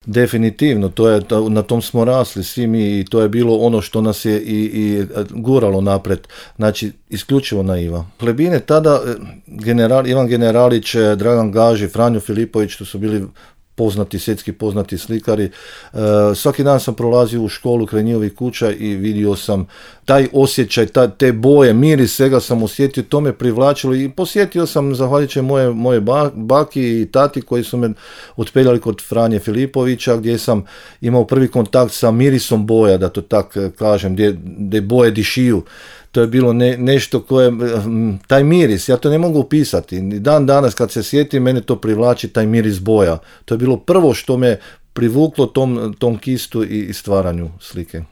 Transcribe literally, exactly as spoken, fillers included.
Definitivno, to je, na tom smo rasli svi mi i to je bilo ono što nas je i, i guralo napred, znači isključivo naiva. Plebine tada, general, Ivan Generalić, Dragan Gaži, Franjo Filipović, to su bili poznati, svjetski poznati slikari. E, svaki dan sam prolazio u školu kraj njihovih kuća i vidio sam taj osjećaj, ta, te boje, miris, svega sam osjetio, to me privlačilo i posjetio sam, zahvaljujući moje, moje baki i tati koji su me otpeljali kod Franje Filipovića, gdje sam imao prvi kontakt sa mirisom boja, da to tak kažem, gdje, gdje boje dišiju. To je bilo ne, nešto koje, taj miris, ja to ne mogu opisati. Dan danas kad se sjetim, mene to privlači, taj miris boja. To je bilo prvo što me privuklo tom, tom kistu i stvaranju slike.